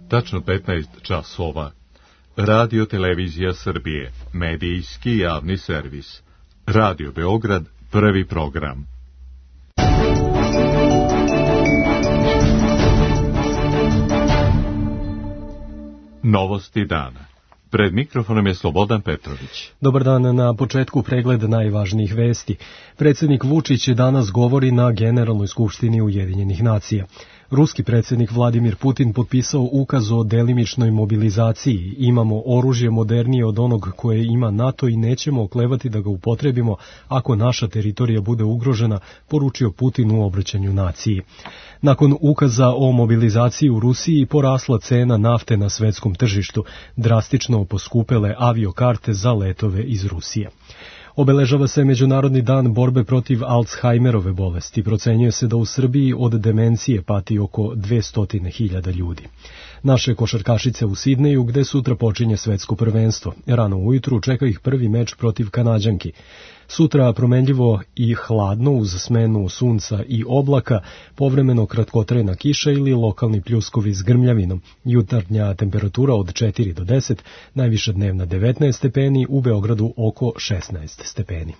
Tačno 15 časova. Radio Televizija Srbije, medijski javni servis. Radio Beograd, prvi program. Novosti dana. Pred mikrofonom je Slobodan Petrović. Dobar dan, na početku pregled najvažnijih vesti. Predsjednik Vučić danas govori na Generalnoj skupštini Ujedinjenih nacija. Ruski predsjednik Vladimir Putin potpisao ukaz o delimičnoj mobilizaciji. Imamo oružje modernije od onog koje ima NATO i nećemo oklevati da ga upotrebimo ako naša teritorija bude ugrožena, poručio Putin u obraćanju naciji. Nakon ukaza o mobilizaciji u Rusiji porasla cena nafte na svetskom tržištu, drastično poskupele aviokarte za letove iz Rusije. Obeležava se Međunarodni dan borbe protiv Alzheimerove bolesti. Procenjuje se da u Srbiji od demencije pati oko 200.000 ljudi. Naše košarkašice u Sidneju, gde sutra počinje svetsko prvenstvo. Rano ujutru čeka ih prvi meč protiv Kanađanki. Sutra promenljivo i hladno uz smenu sunca i oblaka, povremeno kratkotrajna kiša ili lokalni pljuskovi s grmljavinom. Jutarnja temperatura od 4 do 10, najviša dnevna 19 stepeni, u Beogradu oko 16 stepeni.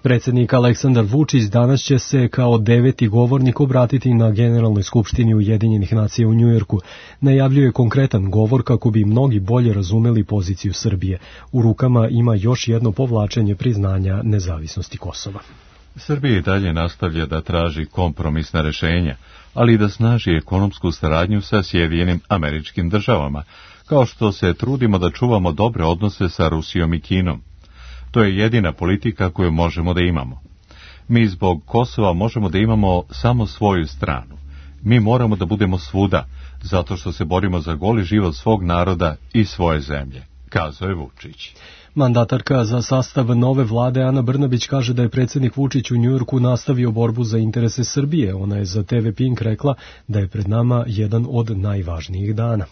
Predsjednik Aleksandar Vučić danas će se kao 9. govornik obratiti na Generalnoj skupštini Ujedinjenih nacija u Njujorku. Najavljuje konkretan govor kako bi mnogi bolje razumeli poziciju Srbije. U rukama ima još jedno povlačenje priznanja nezavisnosti Kosova. Srbija i dalje nastavlja da traži kompromisna rešenja, ali i da snaži ekonomsku saradnju sa Sjedinjenim Američkim Državama, kao što se trudimo da čuvamo dobre odnose sa Rusijom i Kinom. To je jedina politika koju možemo da imamo. Mi zbog Kosova možemo da imamo samo svoju stranu. Mi moramo da budemo svuda, zato što se borimo za goli život svog naroda i svoje zemlje, kazao je Vučić. Mandatarka za sastav nove vlade Ana Brnabić kaže da je predsjednik Vučić u Njujorku nastavio borbu za interese Srbije. Ona je za TV Pink rekla da je pred nama jedan od najvažnijih dana.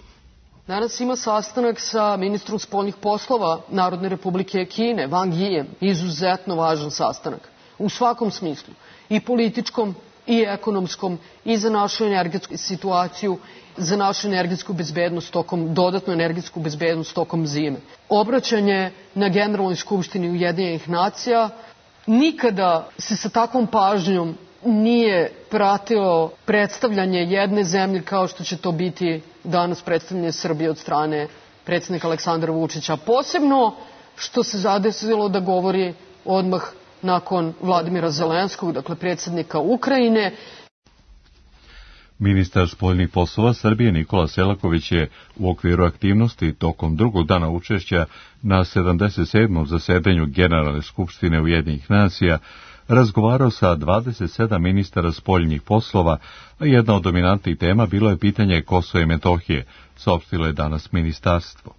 Danas ima sastanak sa ministrom spoljnih poslova Narodne republike Kine, Wang Yijem, izuzetno važan sastanak. U svakom smislu, i političkom, i ekonomskom, i za našu energetsku situaciju, za našu energetsku bezbednost dodatnu energetsku bezbednost tokom zime. Obraćanje na Generalnoj skupštini Ujedinjenih nacija nikada se sa takvom pažnjom nije pratilo predstavljanje jedne zemlje kao što će to biti danas predstavljanje Srbije od strane predsjednika Aleksandra Vučića. Posebno što se zadesilo da govori odmah nakon Vladimira Zelenskog, dakle predsjednika Ukrajine. Ministar spoljnih poslova Srbije Nikola Selaković je u okviru aktivnosti tokom drugog dana učešća na 77. zasedanju Generalne skupštine Ujedinjenih nacija razgovarao sa 27 ministara spoljnih poslova, a jedna od dominantnih tema bilo je pitanje Kosova i Metohije, saopštilo je danas ministarstvo.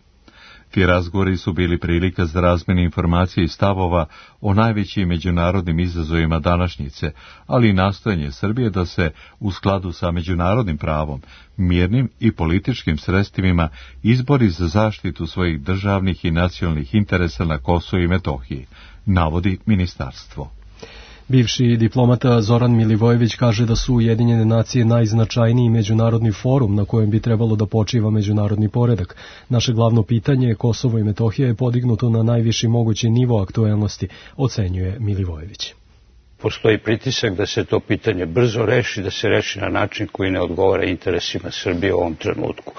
Ti razgovori su bili prilika za razmjenu informacije i stavova o najvećim međunarodnim izazovima današnjice, ali i nastojanje Srbije da se u skladu sa međunarodnim pravom, mirnim i političkim sredstvima izbori za zaštitu svojih državnih i nacionalnih interesa na Kosovu i Metohiji, navodi ministarstvo. Bivši diplomata Zoran Milivojević kaže da su Ujedinjene nacije najznačajniji međunarodni forum na kojem bi trebalo da počiva međunarodni poredak. Naše glavno pitanje, Kosovo i Metohija, je podignuto na najviši mogući nivo aktuelnosti, ocenjuje Milivojević. Postoji pritisak da se to pitanje brzo reši, da se reši na način koji ne odgovara interesima Srbije u ovom trenutku.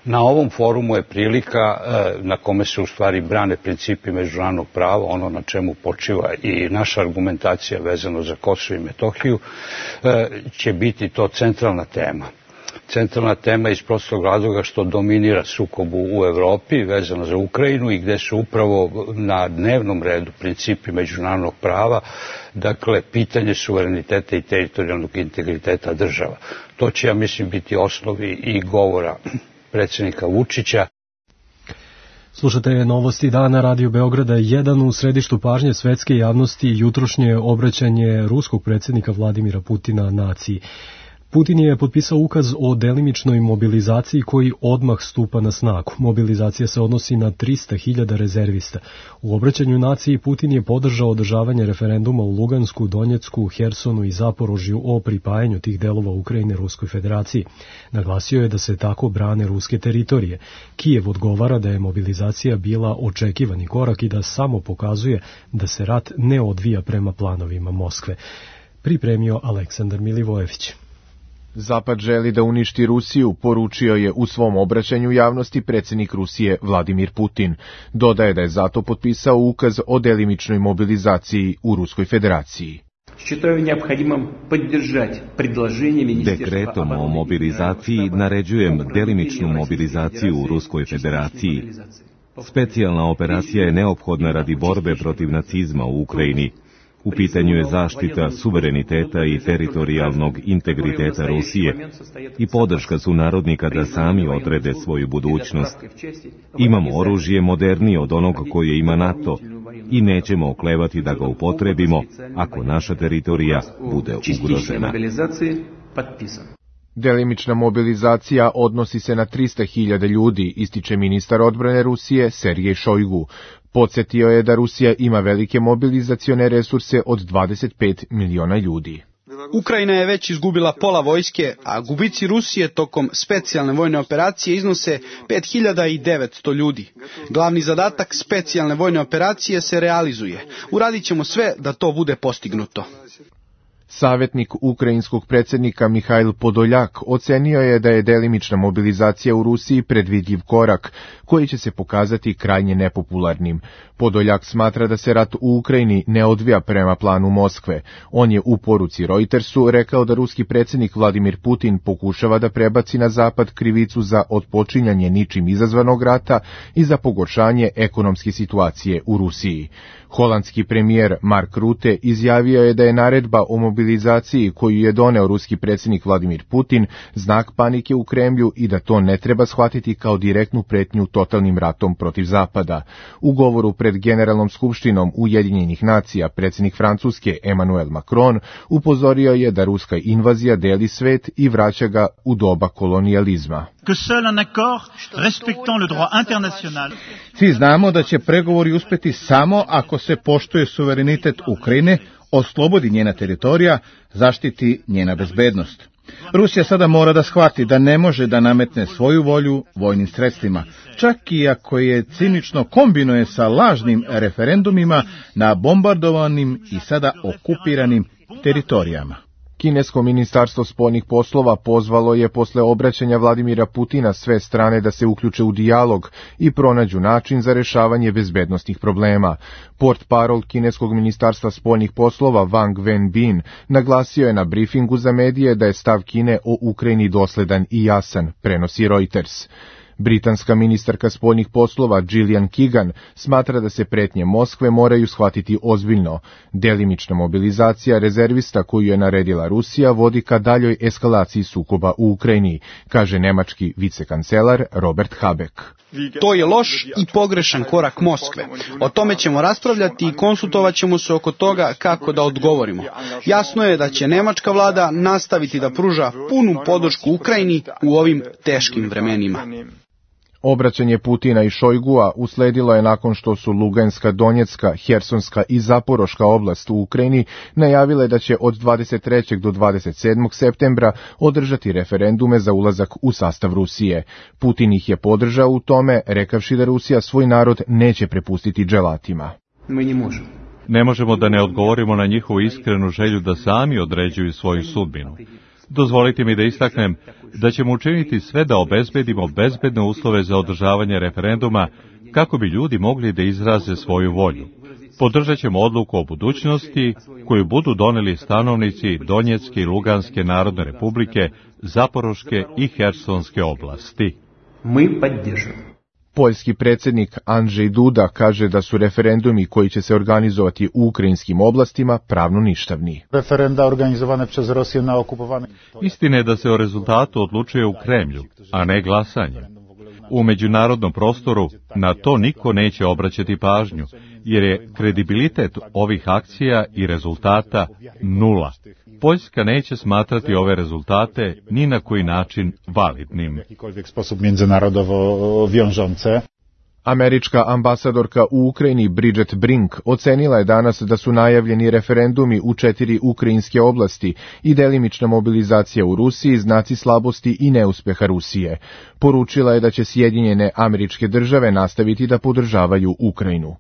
Na ovom forumu je prilika na kome se u stvari brane principi međunarodnog prava, ono na čemu počiva i naša argumentacija vezano za Kosovo i Metohiju, će biti to centralna tema. Centralna tema iz prostog razloga što dominira sukobu u Evropi vezano za Ukrajinu i gde su upravo na dnevnom redu principi međunarodnog prava, dakle pitanje suvereniteta i teritorijalnog integriteta država. To će, ja mislim, biti osnovi i govora predsjednika Vučića. Slušate novosti dana Radio Beograda 1. U središtu pažnje svetske javnosti jutrošnje obraćanje ruskog predsjednika Vladimira Putina naciji. Putin je potpisao ukaz o delimičnoj mobilizaciji koji odmah stupa na snagu. Mobilizacija se odnosi na 300.000 rezervista. U obraćanju naciji Putin je podržao održavanje referenduma u Lugansku, Donjecku, Hersonu i Zaporožju o pripajanju tih delova Ukrajine Ruskoj federaciji. Naglasio je da se tako brane ruske teritorije. Kijev odgovara da je mobilizacija bila očekivani korak i da samo pokazuje da se rat ne odvija prema planovima Moskve. Pripremio Aleksandar Milivojević. Zapad želi da uništi Rusiju, poručio je u svom obraćanju javnosti predsjednik Rusije Vladimir Putin. Dodaje da je zato potpisao ukaz o delimičnoj mobilizaciji u Ruskoj federaciji. Dekretom o mobilizaciji naređujem delimičnu mobilizaciju u Ruskoj federaciji. Specijalna operacija je neophodna radi borbe protiv nacizma u Ukrajini. U pitanju je zaštita suvereniteta i teritorijalnog integriteta Rusije i podrška sunarodnika da sami odrede svoju budućnost. Imamo oružje modernije od onog koje ima NATO i nećemo oklevati da ga upotrebimo ako naša teritorija bude ugrožena. Delimična mobilizacija odnosi se na 300.000 ljudi, ističe ministar odbrane Rusije Sergej Šojgu. Podsjetio je da Rusija ima velike mobilizacione resurse od 25 miliona ljudi. Ukrajina je već izgubila pola vojske, a gubici Rusije tokom specijalne vojne operacije iznose 5.900 ljudi. Glavni zadatak specijalne vojne operacije se realizuje. Uradit ćemo sve da to bude postignuto. Savjetnik ukrajinskog predsjednika Mihajl Podoljak ocenio je da je delimična mobilizacija u Rusiji predvidljiv korak, koji će se pokazati krajnje nepopularnim. Podoljak smatra da se rat u Ukrajini ne odvija prema planu Moskve. On je u poruci Reutersu rekao da ruski predsjednik Vladimir Putin pokušava da prebaci na zapad krivicu za otpočinjanje ničim izazvanog rata i za pogoršanje ekonomske situacije u Rusiji. Holandski premijer Mark Rutte izjavio je da je naredba o mobilizaciji koju je doneo ruski predsjednik Vladimir Putin znak panike u Kremlju i da to ne treba shvatiti kao direktnu pretnju totalnim ratom protiv Zapada. U govoru pred Generalnom skupštinom Ujedinjenih nacija predsjednik Francuske Emmanuel Macron upozorio je da ruska invazija deli svet i vraća ga u doba kolonijalizma. Svi znamo da će pregovori uspjeti samo ako se poštuje suverenitet Ukrajine, oslobodi njena teritorija, zaštiti njena bezbednost. Rusija sada mora da shvati da ne može da nametne svoju volju vojnim sredstvima, čak i ako je cinično kombinuje sa lažnim referendumima na bombardovanim i sada okupiranim teritorijama. Kinesko ministarstvo spoljnih poslova pozvalo je posle obraćanja Vladimira Putina sve strane da se uključe u dijalog i pronađu način za rešavanje bezbednosnih problema. Portparol Kineskog ministarstva spoljnih poslova Wang Wenbin naglasio je na brifingu za medije da je stav Kine o Ukrajini dosledan i jasan, prenosi Reuters. Britanska ministarka spoljnih poslova Gillian Keegan smatra da se pretnje Moskve moraju shvatiti ozbiljno. Delimična mobilizacija rezervista koju je naredila Rusija vodi ka daljoj eskalaciji sukoba u Ukrajini, kaže nemački vicekancelar Robert Habeck. To je loš i pogrešan korak Moskve. O tome ćemo raspravljati i konsultovat ćemo se oko toga kako da odgovorimo. Jasno je da će nemačka vlada nastaviti da pruža punu podršku Ukrajini u ovim teškim vremenima. Obraćanje Putina i Šojgua usledilo je nakon što su Luganska, Donjecka, Hersonska i Zaporoška oblast u Ukrajini najavile da će od 23. do 27. septembra održati referendume za ulazak u sastav Rusije. Putin ih je podržao u tome, rekavši da Rusija svoj narod neće prepustiti dželatima. Ne možemo da ne odgovorimo na njihovu iskrenu želju da sami određuju svoju sudbinu. Dozvolite mi da istaknem da ćemo učiniti sve da obezbedimo bezbedne uslove za održavanje referenduma kako bi ljudi mogli da izraze svoju volju. Podržat ćemo odluku o budućnosti koju budu doneli stanovnici Donjecke i Luganske narodne republike, Zaporoške i Hersonske oblasti. Poljski predsjednik Andrzej Duda kaže da su referendumi koji će se organizovati u ukrajinskim oblastima pravno ništavni. Referenda organizovane przez Rosję na okupowanych... Istina je da se o rezultatu odlučuje u Kremlju, a ne glasanjem. U međunarodnom prostoru na to niko neće obraćati pažnju, jer je kredibilitet ovih akcija i rezultata nula. Poljska neće smatrati ove rezultate ni na koji način validnim. Američka ambasadorka u Ukrajini Bridget Brink ocenila je danas da su najavljeni referendumi u 4 ukrajinske oblasti i delimična mobilizacija u Rusiji znaci slabosti i neuspeha Rusije. Poručila je da će Sjedinjene Američke Države nastaviti da podržavaju Ukrajinu.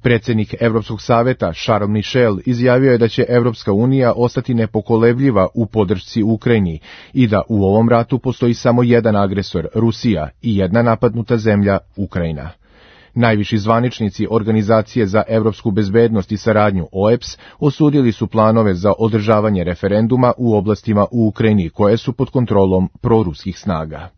Predsjednik Evropskog saveta Charles Michel izjavio je da će Evropska unija ostati nepokolebljiva u podršci Ukrajini i da u ovom ratu postoji samo jedan agresor, Rusija, i jedna napadnuta zemlja, Ukrajina. Najviši zvaničnici Organizacije za evropsku bezbednost i saradnju OEBS osudili su planove za održavanje referenduma u oblastima u Ukrajini koje su pod kontrolom proruskih snaga.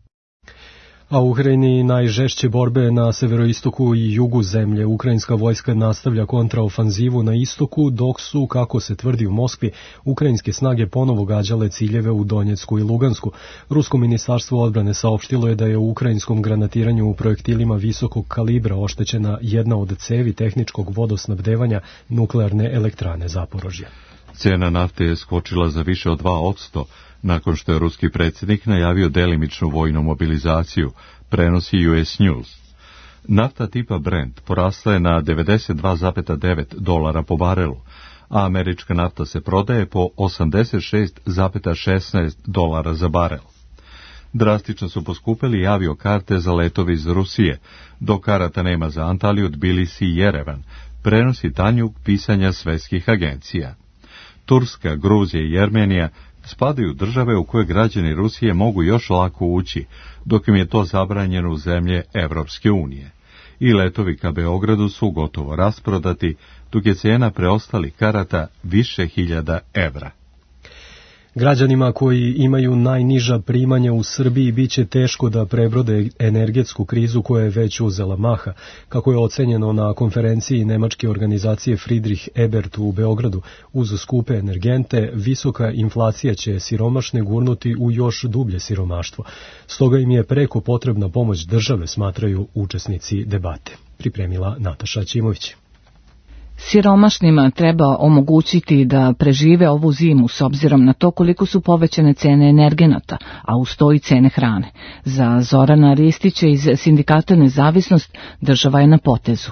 A u Ukrajini najžešće borbe na severoistoku i jugu zemlje. Ukrajinska vojska nastavlja kontraofanzivu na istoku, dok su, kako se tvrdi u Moskvi, ukrajinske snage ponovo gađale ciljeve u Donjecku i Lugansku. Rusko ministarstvo odbrane saopštilo je da je u ukrajinskom granatiranju u projektilima visokog kalibra oštećena jedna od cevi tehničkog vodosnabdevanja nuklearne elektrane Zaporožje. Cena nafte je skočila za više od 2%, nakon što je ruski predsjednik najavio delimičnu vojnu mobilizaciju, prenosi US News. Nafta tipa Brent porasla je na $92,9 po barelu, a američka nafta se prodaje po $86,16 za barel. Drastično su poskupili aviokarte za letove iz Rusije, dok karata nema za Antaliju, Tbilisi i Jerevan, prenosi Tanjug pisanja svetskih agencija. Turska, Gruzija i Jermenija spadaju države u koje građani Rusije mogu još lako ući, dok im je to zabranjeno u zemlje Evropske unije. I letovi ka Beogradu su gotovo rasprodati, dok je cena preostalih karata više hiljada evra. Građanima koji imaju najniža primanja u Srbiji biće teško da prebrode energetsku krizu koja je već uzela maha. Kako je ocenjeno na konferenciji nemačke organizacije Friedrich Ebert u Beogradu, uz skupe energente, visoka inflacija će siromašne gurnuti u još dublje siromaštvo. Stoga im je preko potrebna pomoć države, smatraju učesnici debate. Pripremila Nataša Ćimović. Siromašnima treba omogućiti da prežive ovu zimu s obzirom na to koliko su povećane cene energenata, a uz to i cene hrane. Za Zorana Ristića iz sindikata Nezavisnost država je na potezu.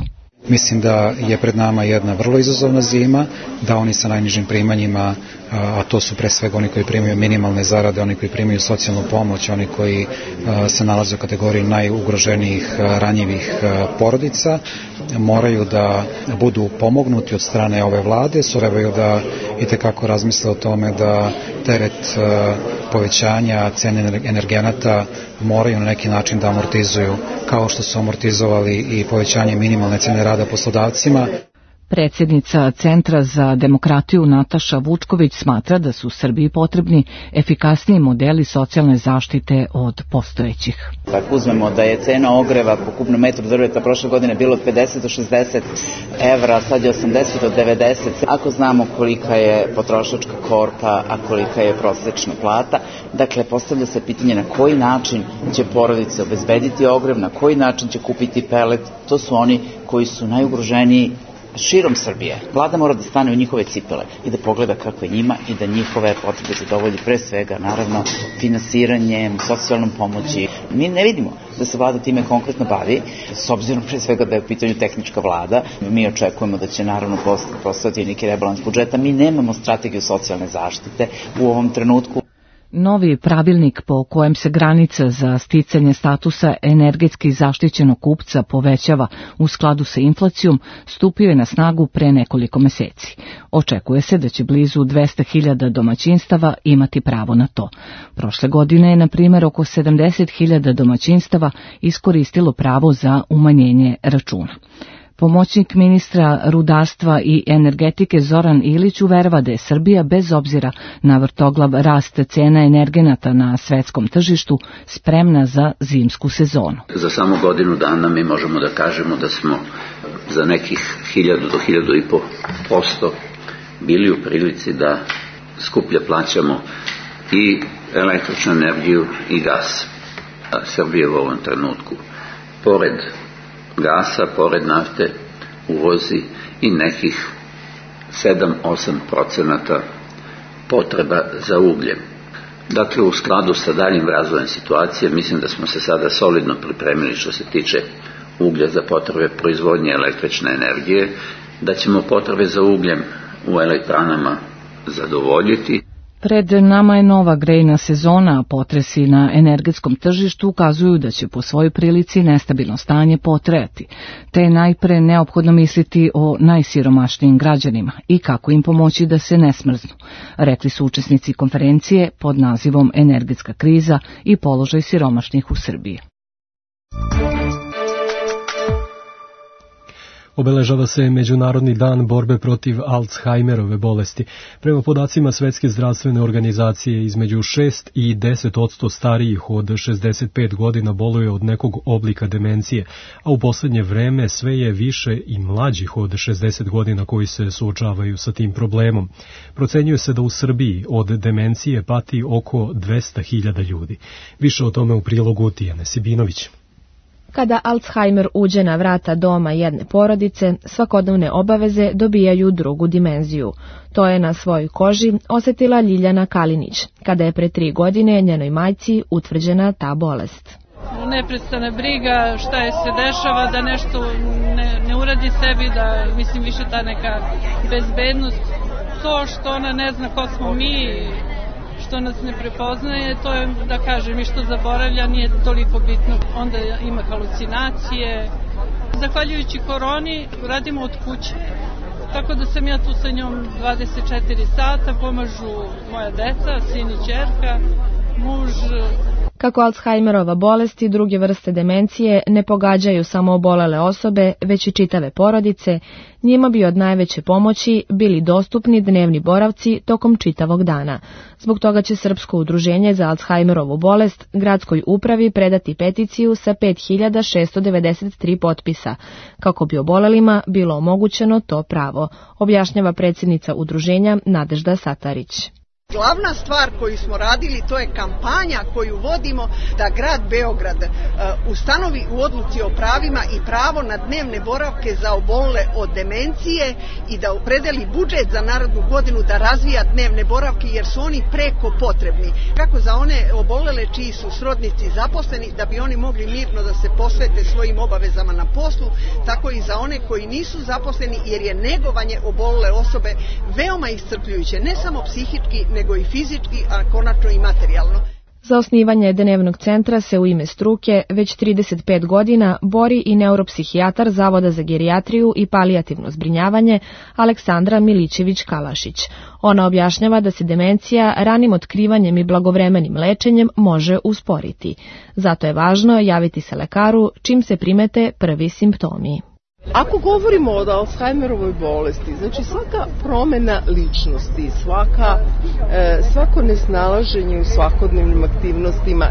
Mislim da je pred nama jedna vrlo izazovna zima, da oni sa najnižim primanjima, a to su pre svega oni koji primaju minimalne zarade, oni koji primaju socijalnu pomoć, oni koji se nalaze u kategoriji najugroženijih ranjivih porodica, moraju da budu pomognuti od strane ove vlade, trebaju da itekako razmisle o tome da teret povećanja cene energenata moraju na neki način da amortizuju, kao što su amortizovali i povećanje minimalne cene rada poslodavcima. Predsjednica Centra za demokratiju Nataša Vučković smatra da su Srbiji potrebni efikasniji modeli socijalne zaštite od postojećih. Ako uzmemo da je cena ogreva po kubnom metru drveta prošle godine bilo od 50 do 60 evra, sad je 80 do 90. Ako znamo kolika je potrošačka korpa, a kolika je prosječna plata, dakle postavlja se pitanje na koji način će porodice obezbediti ogrev, na koji način će kupiti pelet, to su oni koji su najugroženiji širom Srbije. Vlada mora da stane u njihove cipele i da pogleda kako je njima i da njihove potrebe zadovolji pre svega, naravno, finansiranjem, socijalnom pomoći. Mi ne vidimo da se vlada time konkretno bavi, s obzirom pre svega da je u pitanju tehnička vlada. Mi očekujemo da će naravno postati neki rebalans budžeta. Mi nemamo strategiju socijalne zaštite u ovom trenutku. Novi pravilnik po kojem se granica za sticanje statusa energetski zaštićenog kupca povećava u skladu sa inflacijom stupio je na snagu pre nekoliko meseci. Očekuje se da će blizu 200.000 domaćinstava imati pravo na to. Prošle godine je, na primjer, oko 70.000 domaćinstava iskoristilo pravo za umanjenje računa. Pomoćnik ministra rudarstva i energetike Zoran Ilić uverava da je Srbija, bez obzira na vrtoglav rast cena energenata na svetskom tržištu, spremna za zimsku sezonu. Za samo godinu dana mi možemo da kažemo da smo za nekih 1000 do 1500% bili u prilici da skuplje plaćamo i električnu energiju i gas. Srbija u ovom trenutku pored gasa, pored nafte, uvozi i nekih 7-8% potreba za ugljem. Dakle, u skladu sa daljim razvojem situacije, mislim da smo se sada solidno pripremili što se tiče uglja za potrebe proizvodnje električne energije, da ćemo potrebe za ugljem u elektranama zadovoljiti. Pred nama je nova grejna sezona, a potresi na energetskom tržištu ukazuju da će po svojoj prilici nestabilno stanje potrajati, te je najpre neophodno misliti o najsiromašnijim građanima i kako im pomoći da se ne smrznu, rekli su učesnici konferencije pod nazivom Energetska kriza i položaj siromašnih u Srbiji. Obeležava se Međunarodni dan borbe protiv Alzheimerove bolesti. Prema podacima Svetske zdravstvene organizacije, između 6 i 10% starijih od 65 godina boluje od nekog oblika demencije, a u poslednje vreme sve je više i mlađih od 60 godina koji se suočavaju sa tim problemom. Procenjuje se da u Srbiji od demencije pati oko 200.000 ljudi. Više o tome u prilogu Tijane Sibinović. Kada Alzheimer uđe na vrata doma jedne porodice, svakodnevne obaveze dobijaju drugu dimenziju. To je na svojoj koži osetila Ljiljana Kalinić, kada je pre 3 godine njenoj majci utvrđena ta bolest. Neprestana briga šta je se dešava, da nešto ne uradi sebi, da mislim više ta neka bezbednost, to što ona ne zna ko smo mi, što nas ne prepoznaje, to je, da kažem, i što zaboravlja, nije toliko bitno. Onda ima halucinacije. Zahvaljujući koroni radimo od kuće. Tako da sam ja tu sa njom 24 sata, pomažu moja deca, sin i ćerka, muž. Kako Alzheimerova bolest i druge vrste demencije ne pogađaju samo obolele osobe, već i čitave porodice, njima bi od najveće pomoći bili dostupni dnevni boravci tokom čitavog dana. Zbog toga će Srpsko udruženje za Alzheimerovu bolest gradskoj upravi predati peticiju sa 5693 potpisa, kako bi obolelima bilo omogućeno to pravo, objašnjava predsjednica udruženja Nadežda Satarić. Glavna stvar koju smo radili, to je kampanja koju vodimo da grad Beograd ustanovi u odluci o pravima i pravo na dnevne boravke za obolele od demencije i da opredeli budžet za narednu godinu da razvija dnevne boravke jer su oni preko potrebni. Kako za one obolele čiji su srodnici zaposleni da bi oni mogli mirno da se posvete svojim obavezama na poslu, tako i za one koji nisu zaposleni jer je negovanje obolele osobe veoma iscrpljujuće, ne samo psihički, nego i fizički, a konačno i materijalno. Za osnivanje dnevnog centra se u ime struke već 35 godina bori i neuropsihijatar Zavoda za gerijatriju i palijativno zbrinjavanje Aleksandra Milićević-Kalašić. Ona objašnjava da se demencija ranim otkrivanjem i blagovremenim lečenjem može usporiti. Zato je važno javiti se lekaru čim se primete prvi simptomi. Ako govorimo o Alzheimerovoj bolesti, znači svaka promjena ličnosti, svako nesnalaženje u svakodnevnim aktivnostima,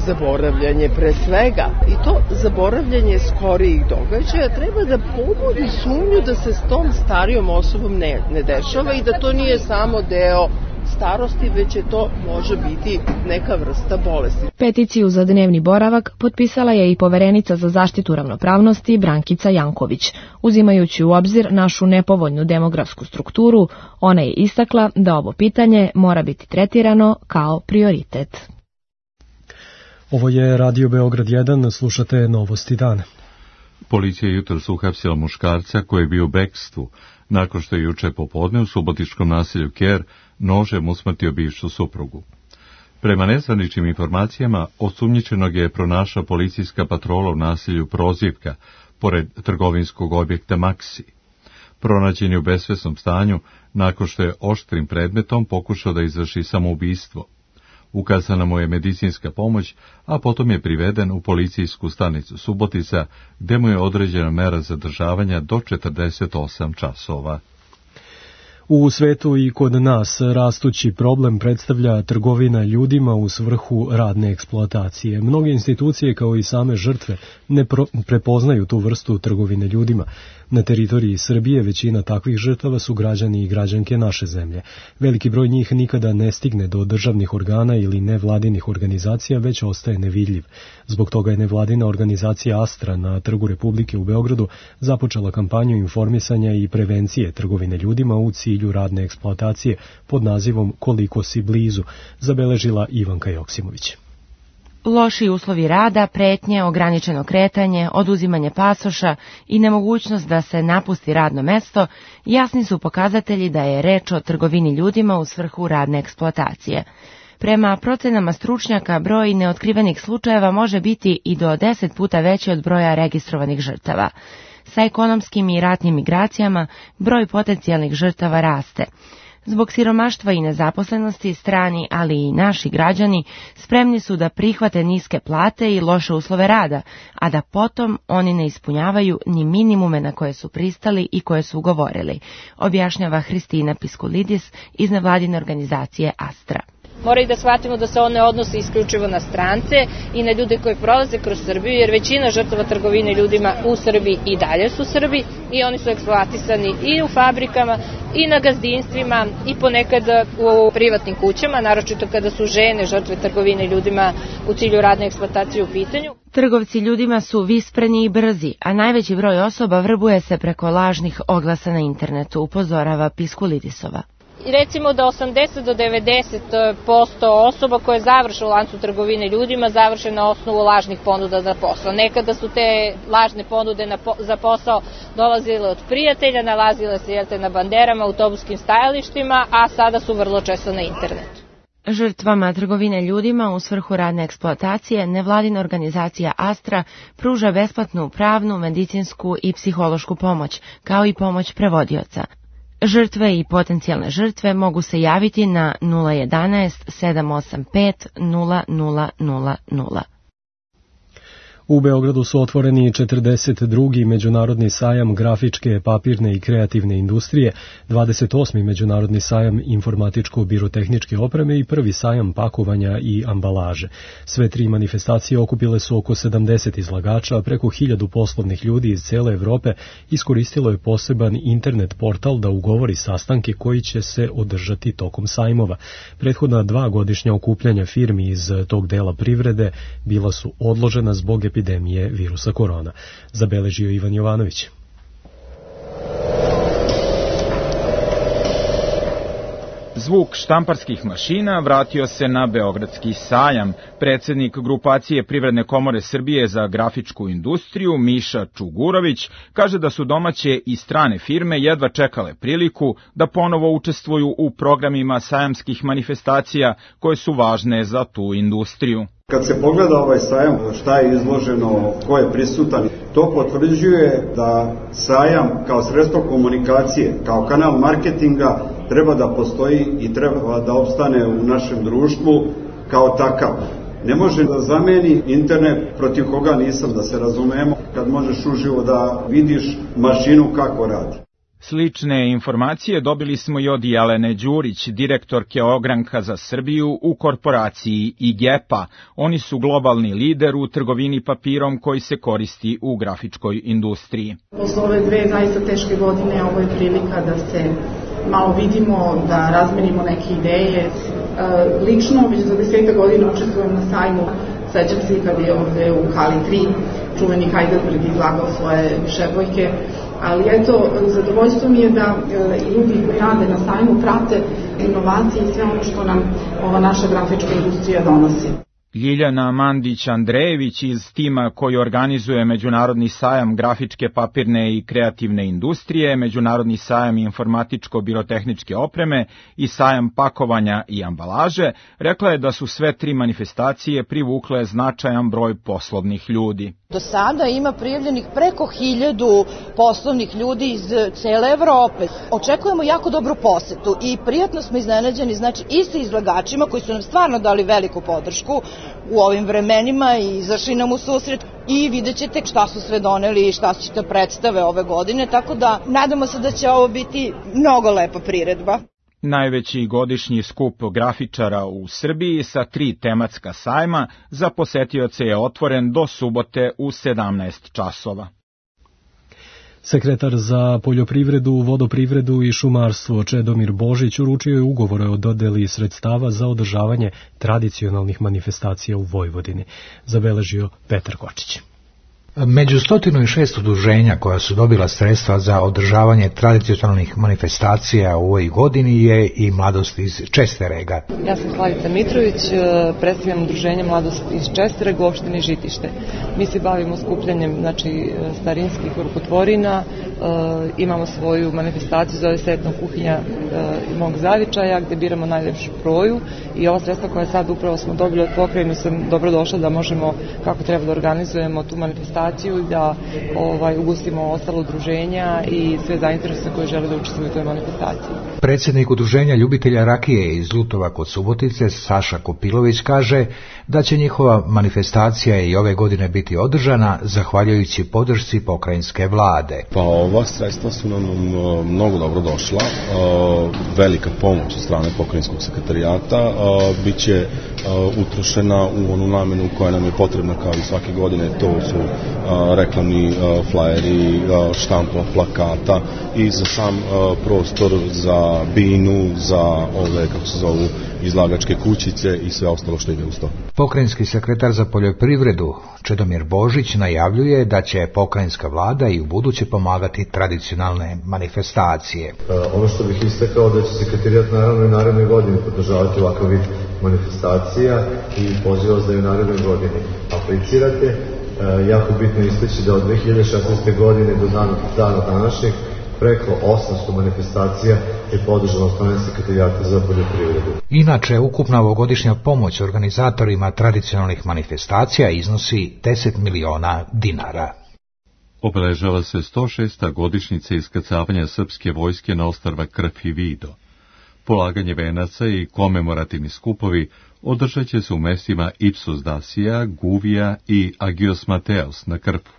zaboravljanje pre svega, i to zaboravljanje skorijih događaja treba da pobudi sumnju da se s tom starijom osobom ne dešava i da to nije samo deo starosti, već je to može biti neka vrsta bolesti. Peticiju za dnevni boravak potpisala je i poverenica za zaštitu ravnopravnosti Brankica Janković. Uzimajući u obzir našu nepovoljnu demografsku strukturu, ona je istakla da ovo pitanje mora biti tretirano kao prioritet. Ovo je Radio Beograd 1, slušate Novosti dana. Policija je jutros uhapsila muškarca koji je bio u bekstvu, nakon što je juče popodne u subotičkom naselju Ker nožem usmrtio bivšu suprugu. Prema nezvaničnim informacijama, osumnjičenog je pronašla policijska patrola u naselju Prozivka, pored trgovinskog objekta Maksi. Pronađen je u besvesnom stanju nakon što je oštrim predmetom pokušao da izvrši samoubistvo. Ukazana mu je medicinska pomoć, a potom je priveden u policijsku stanicu Subotica, gde mu je određena mera zadržavanja do 48 časova. U svetu i kod nas rastući problem predstavlja trgovina ljudima u svrhu radne eksploatacije. Mnoge institucije kao i same žrtve ne prepoznaju tu vrstu trgovine ljudima. Na teritoriji Srbije većina takvih žrtava su građani i građanke naše zemlje. Veliki broj njih nikada ne stigne do državnih organa ili nevladinih organizacija, već ostaje nevidljiv. Zbog toga je nevladina organizacija Astra na Trgu Republike u Beogradu započela kampanju informisanja i prevencije trgovine ljudima u cilju radne eksploatacije pod nazivom Koliko si blizu, zabeležila Ivanka Joksimović. Loši uslovi rada, pretnje, ograničeno kretanje, oduzimanje pasoša i nemogućnost da se napusti radno mesto jasni su pokazatelji da je reč o trgovini ljudima u svrhu radne eksploatacije. Prema procenama stručnjaka, broj neotkrivenih slučajeva može biti i do 10 puta veći od broja registrovanih žrtava. Sa ekonomskim i ratnim migracijama broj potencijalnih žrtava raste. Zbog siromaštva i nezaposlenosti strani, ali i naši građani spremni su da prihvate niske plate i loše uslove rada, a da potom oni ne ispunjavaju ni minimume na koje su pristali i koje su ugovorili, objašnjava Hristina Piskulidis iz nevladine organizacije Astra. Moraju da shvatimo da se one odnose isključivo na strance i na ljude koji prolaze kroz Srbiju, jer većina žrtava trgovine ljudima u Srbiji i dalje su Srbi i oni su eksploatisani i u fabrikama i na gazdinstvima i ponekad u privatnim kućama, naročito kada su žene žrtve trgovine ljudima u cilju radne eksploatacije u pitanju. Trgovci ljudima su vispreni i brzi, a najveći broj osoba vrbuje se preko lažnih oglasa na internetu, upozorava Piskulidisova. I recimo da 80 do 90% osoba koje završe u lancu trgovine ljudima završe na osnovu lažnih ponuda za posao. Nekada su te lažne ponude za posao dolazile od prijatelja, nalazile se na banderama, autobuskim stajalištima, a sada su vrlo često na internetu. Žrtvama trgovine ljudima u svrhu radne eksploatacije nevladina organizacija Astra pruža besplatnu pravnu, medicinsku i psihološku pomoć, kao i pomoć prevodioca. Žrtve i potencijalne žrtve mogu se javiti na 011 785 0000. U Beogradu su otvoreni 42. Međunarodni sajam grafičke, papirne i kreativne industrije, 28. Međunarodni sajam informatičko-birotehničke opreme i prvi sajam pakovanja i ambalaže. Sve tri manifestacije okupile su oko 70 izlagača, a preko 1000 poslovnih ljudi iz cele Evrope iskoristilo je poseban internet portal da ugovori sastanke koji će se održati tokom sajmova. Prethodna 2 godišnja okupljanja firmi iz tog dela privrede bila su odložena zbog epidemije virusa korona, zabeležio Ivan Jovanović. Zvuk štamparskih mašina vratio se na Beogradski sajam. Predsednik grupacije Privredne komore Srbije za grafičku industriju, Miša Čugurović, kaže da su domaće i strane firme jedva čekale priliku da ponovo učestvuju u programima sajamskih manifestacija koje su važne za tu industriju. Kad se pogleda ovaj sajam, šta je izloženo, ko je prisutan, to potvrđuje da sajam kao sredstvo komunikacije, kao kanal marketinga treba da postoji i treba da opstane u našem društvu kao takav. Ne može da zameni internet, protiv koga nisam, da se razumemo, kad možeš uživo da vidiš mašinu kako radi. Slične informacije dobili smo i od Jelene Đurić, direktorke Ogranka za Srbiju u korporaciji IGEPA. Oni su globalni lider u trgovini papirom koji se koristi u grafičkoj industriji. Posle ove 2 zaista teške godine ovo je prilika da se malo vidimo, da razmenimo neke ideje. Lično, već za 10 godina učestvujem na sajmu. Sećam se kad je ovde u Hali 3 čuveni Heidelberg izlagao svoje šebojke. Ali eto, zadovoljstvo mi je da ljudi koji rade na sajmu prate inovacije i sve ono što nam ova naša grafička industrija donosi. Ljiljana Mandić-Andrejević iz tima koji organizuje Međunarodni sajam grafičke, papirne i kreativne industrije, Međunarodni sajam informatičko-birotehničke opreme i sajam pakovanja i ambalaže, rekla je da su sve 3 manifestacije privukle značajan broj poslovnih ljudi. Do sada ima prijavljenih preko 1000 poslovnih ljudi iz cele Evrope. Očekujemo jako dobru posetu i prijatno smo iznenađeni, znači i sa izlagačima koji su nam stvarno dali veliku podršku, u ovim vremenima i izašli nam u susret i vidjet ćete šta su sve doneli i šta će te predstave ove godine, tako da nadamo se da će ovo biti mnogo lepa priredba. Najveći godišnji skup grafičara u Srbiji sa 3 tematska sajma za posetioce je otvoren do subote u 17 časova. Sekretar za poljoprivredu, vodoprivredu i šumarstvo Čedomir Božić uručio je ugovore o dodeli sredstava za održavanje tradicionalnih manifestacija u Vojvodini, zabeležio Petar Kočić. Među 106 udruženja koja su dobila sredstva za održavanje tradicionalnih manifestacija u ovoj godini je i Mladost iz Česterega. Ja sam Slavica Mitrović, predstavljam udruženje Mladost iz Česterega u opštini Žitište. Mi se bavimo skupljanjem starinskih rukotvorina, imamo svoju manifestaciju, zove se Etno kuhinja mog zavičaja, gde biramo najlepšu proju i ova sredstva koja sad upravo smo dobili od pokrajine sam dobro došla da možemo kako treba da organizujemo tu manifestaciju i da ugustimo ostalo udruženja i sve zainteresovane koji žele da učestvuju u toj manifestaciji. Predsjednik udruženja ljubitelja rakije iz Lutova kod Subotice, Saša Kopilović, kaže da će njihova manifestacija i ove godine biti održana zahvaljujući podršci pokrajinske vlade. Pa ova sredstva su nam mnogo dobro došla, velika pomoć od strane pokrajinskog sekretarijata, bit će utrošena u onu namenu koja nam je potrebna kao i svake godine, to su reklamni flajeri, štampa plakata i za sam prostor za binu, za ove, kako se zovu, izlagačke kućice i sve ostalo što ide uz to. Pokrajinski sekretar za poljoprivredu Čedomir Božić najavljuje da će pokrajinska vlada i u buduće pomagati tradicionalne manifestacije. Ono što bih istakao da će sekretarijat naravno i naredne godine podržavati ovakav vid manifestacija i pozivam vas da i u narednoj godini aplicirate. Jako bitno istaći da od 2016. godine do dana današnjeg preko 800 manifestacija je podržano od strane sekretarijata za poljoprivredu. Inače, ukupna ovogodišnja pomoć organizatorima tradicionalnih manifestacija iznosi 10 miliona dinara. Obeležava se 106. godišnjica iskrcavanja srpske vojske na ostrva Krf i Vido. Polaganje venaca i komemorativni skupovi održat će se u mestima Ipsus Dacia, Guvija i Agios Mateos na Krfu.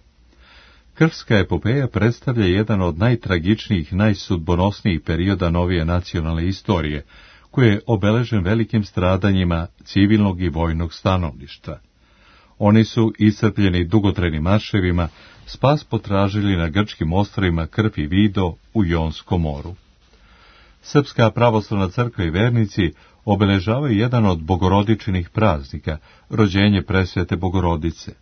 Krfska epopeja predstavlja jedan od najtragičnijih, najsudbonosnijih perioda novije nacionalne istorije, koji je obeležen velikim stradanjima civilnog i vojnog stanovništva. Oni su iscrpljeni dugotrajnim marševima spas potražili na grčkim ostrvima Krf i Vido u Jonskom moru. Srpska pravoslavna crkva i vernici obeležavaju jedan od bogorodičinih praznika, rođenje presvete Bogorodice.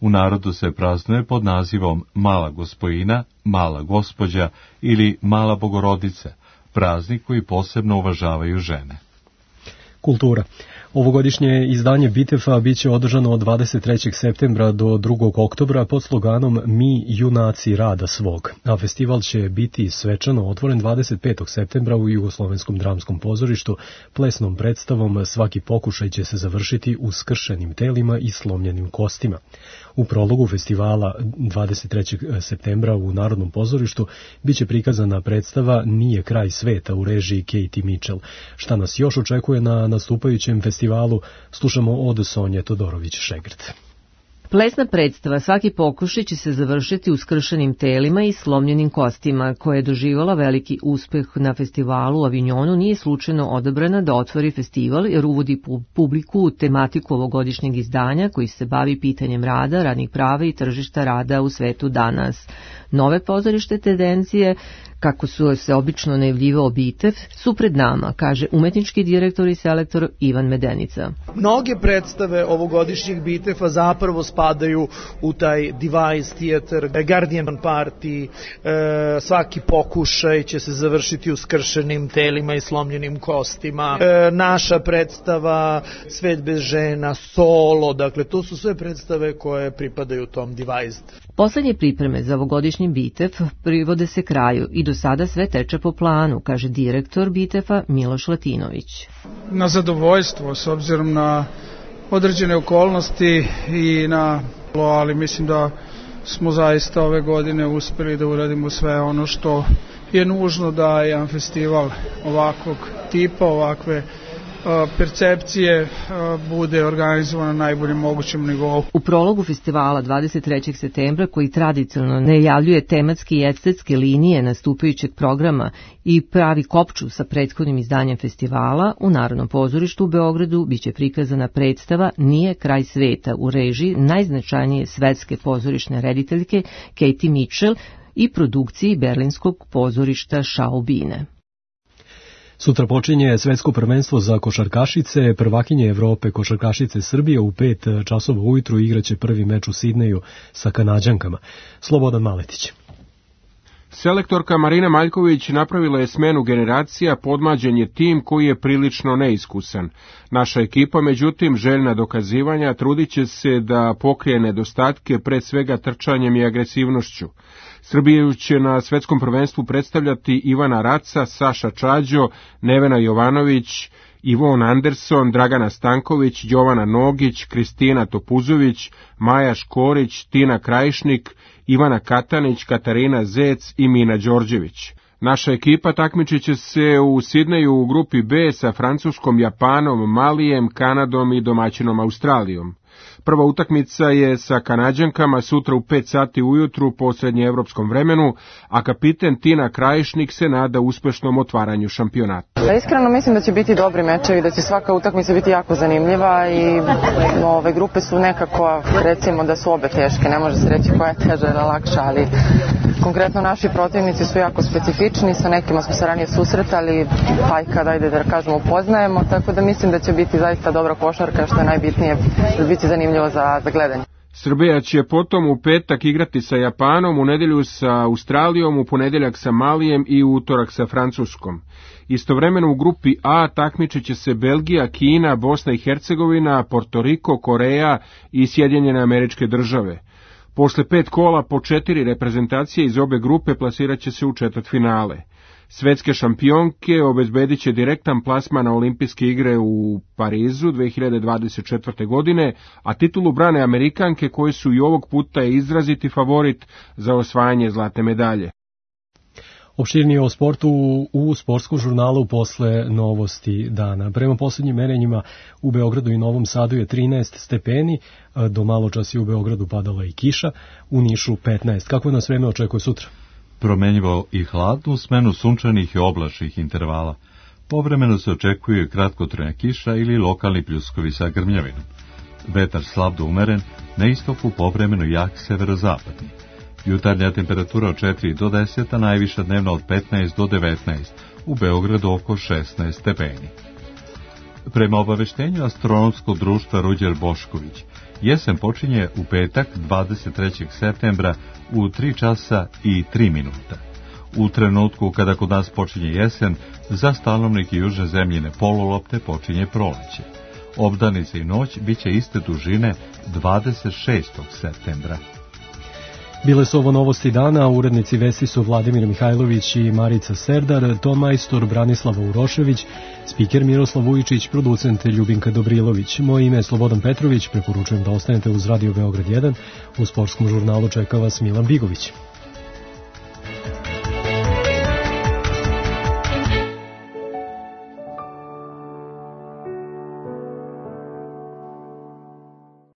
U narodu se praznuje pod nazivom Mala Gospojina, Mala Gospođa ili Mala Bogorodica, praznik koji posebno uvažavaju žene. Kultura. Ovogodišnje izdanje Bitefa biće održano od 23. septembra do 2. oktobra pod sloganom Mi junaci rada svog, a festival će biti svečano otvoren 25. septembra u Jugoslovenskom dramskom pozorištu. Plesnom predstavom Svaki pokušaj će se završiti u skršenim telima i slomljenim kostima. U prologu festivala 23. septembra u Narodnom pozorištu biće prikazana predstava Nije kraj sveta u režiji Katie Mitchell. Šta nas još očekuje na nastupajućem festivalu, slušamo od Sonje Todorović-Šegrt. Plesna predstava Svaki pokušaj će se završiti u skršenim telima i slomljenim kostima, koja je doživjela veliki uspeh na festivalu u Avignonu, nije slučajno odabrana da otvori festival jer uvodi publiku u tematiku ovogodišnjeg izdanja koji se bavi pitanjem rada, radnih prava i tržišta rada u svetu danas. Nove pozorište tendencije, kako su se obično najavljivao Bitev, su pred nama, kaže umetnički direktor i selektor Ivan Medenica. Mnoge predstave ovogodišnjeg Bitefa zapravo spadaju u taj device theater, Guardian Party, Svaki pokušaj će se završiti u skršenim telima i slomljenim kostima, naša predstava Svet bez žena, Solo, dakle to su sve predstave koje pripadaju tom device. Poslednje pripreme za ovogodišnji Bitev privode se kraju i do sada sve teče po planu, kaže direktor Bitefa Miloš Latinović. Na zadovoljstvo, s obzirom na određene okolnosti i ali mislim da smo zaista ove godine uspeli da uradimo sve ono što je nužno da jedan festival ovakvog tipa, ovakve percepcije bude organizovano na najboljem mogućem nivou. U prologu festivala 23. septembra, koji tradicionalno najavljuje tematske i estetske linije nastupajućeg programa i pravi kopču sa prethodnim izdanjem festivala, u Narodnom pozorištu u Beogradu biće prikazana predstava Nije kraj sveta u režiji najznačajnije svetske pozorišne rediteljke Katie Mitchell i produkciji berlinskog pozorišta Schaubine. Sutra počinje svetsko prvenstvo za košarkašice. Prvakinje Evrope košarkašice Srbije u 5 časova ujutru igraće prvi meč u Sidneju sa Kanađankama. Slobodan Maletić. Selektorka Marina Maljković napravila je smenu generacija, podmlađen je tim koji je prilično neiskusan. Naša ekipa, međutim, željna dokazivanja, trudit će se da pokrije nedostatke, pre svega trčanjem i agresivnošću. Srbiju će na svetskom prvenstvu predstavljati Ivana Raca, Saša Čađo, Nevena Jovanović, Ivon Anderson, Dragana Stanković, Jovana Nogić, Kristina Topuzović, Maja Škorić, Tina Krajišnik, Ivana Katanić, Katarina Zec i Mina Đorđević. Naša ekipa takmičit će se u Sidneju u grupi B sa Francuskom, Japanom, Malijem, Kanadom i domaćinom Australijom. Prva utakmica je sa Kanađankama sutra u 5 sati ujutru po srednjeevropskom vremenu, a kapiten Tina Krajišnik se nada uspešnom otvaranju šampionata. Iskreno mislim da će biti dobri mečevi, da će svaka utakmica biti jako zanimljiva i ove grupe su nekako, recimo da su obe teške, ne može se reći koja je teža ili lakša, ali konkretno naši protivnici su jako specifični, sa nekima smo se ranije susretali, pa i kada ajde da kažemo upoznajemo, tako da mislim da će biti zaista dobra košarka, što je najbitnije, da biti zanimljivo za gledanje. Srbija će potom u petak igrati sa Japanom, u nedelju sa Australijom, u ponedeljak sa Malijem i u utorak sa Francuskom. Istovremeno u grupi A takmičit će se Belgija, Kina, Bosna i Hercegovina, Portoriko, Koreja i Sjedinjene Američke Države. Posle 5 kola po 4 reprezentacije iz obe grupe plasirat će se u četvrtfinale. Svetske šampionke obezbedit će direktan plasman na olimpijske igre u Parizu 2024. godine, a titulu brane Amerikanke koje su i ovog puta izraziti favorit za osvajanje zlatne medalje. Opširnije o sportu u sportskom žurnalu posle novosti dana. Prema posljednjim merenjima u Beogradu i Novom Sadu je 13 stepeni, do malo čas je u Beogradu padala i kiša, u Nišu 15. Kako nas vreme očekuje sutra? Promenjivo i hladnu smenu sunčanih i oblačnih intervala. Povremeno se očekuje kratkotrajna kiša ili lokalni pljuskovi sa grmljavinom. Vetar slab do umeren, na istoku povremeno jak severozapadni. Jutarnja temperatura od 4 do 10, a najviša dnevna od 15 do 19, u Beogradu oko 16 stepeni. Prema obaveštenju astronomskog društva Ruđer Bošković, jesen počinje u petak 23. septembra u 3 časa i 3 minuta. U trenutku kada kod nas počinje jesen, za stanovnike južne zemljine polulopte počinje proleće. Obdanice i noć biće iste dužine 26. septembra. Bile su ovo novosti dana, urednici vesti su Vladimir Mihajlović i Marica Serdar, ton majstor Branislava Urošević, spiker Miroslav Vujičić, producent Ljubinka Dobrilović. Moje ime je Slobodan Petrović, preporučujem da ostanete uz Radio Beograd 1, u sportskom žurnalu čeka vas Milan Bigović.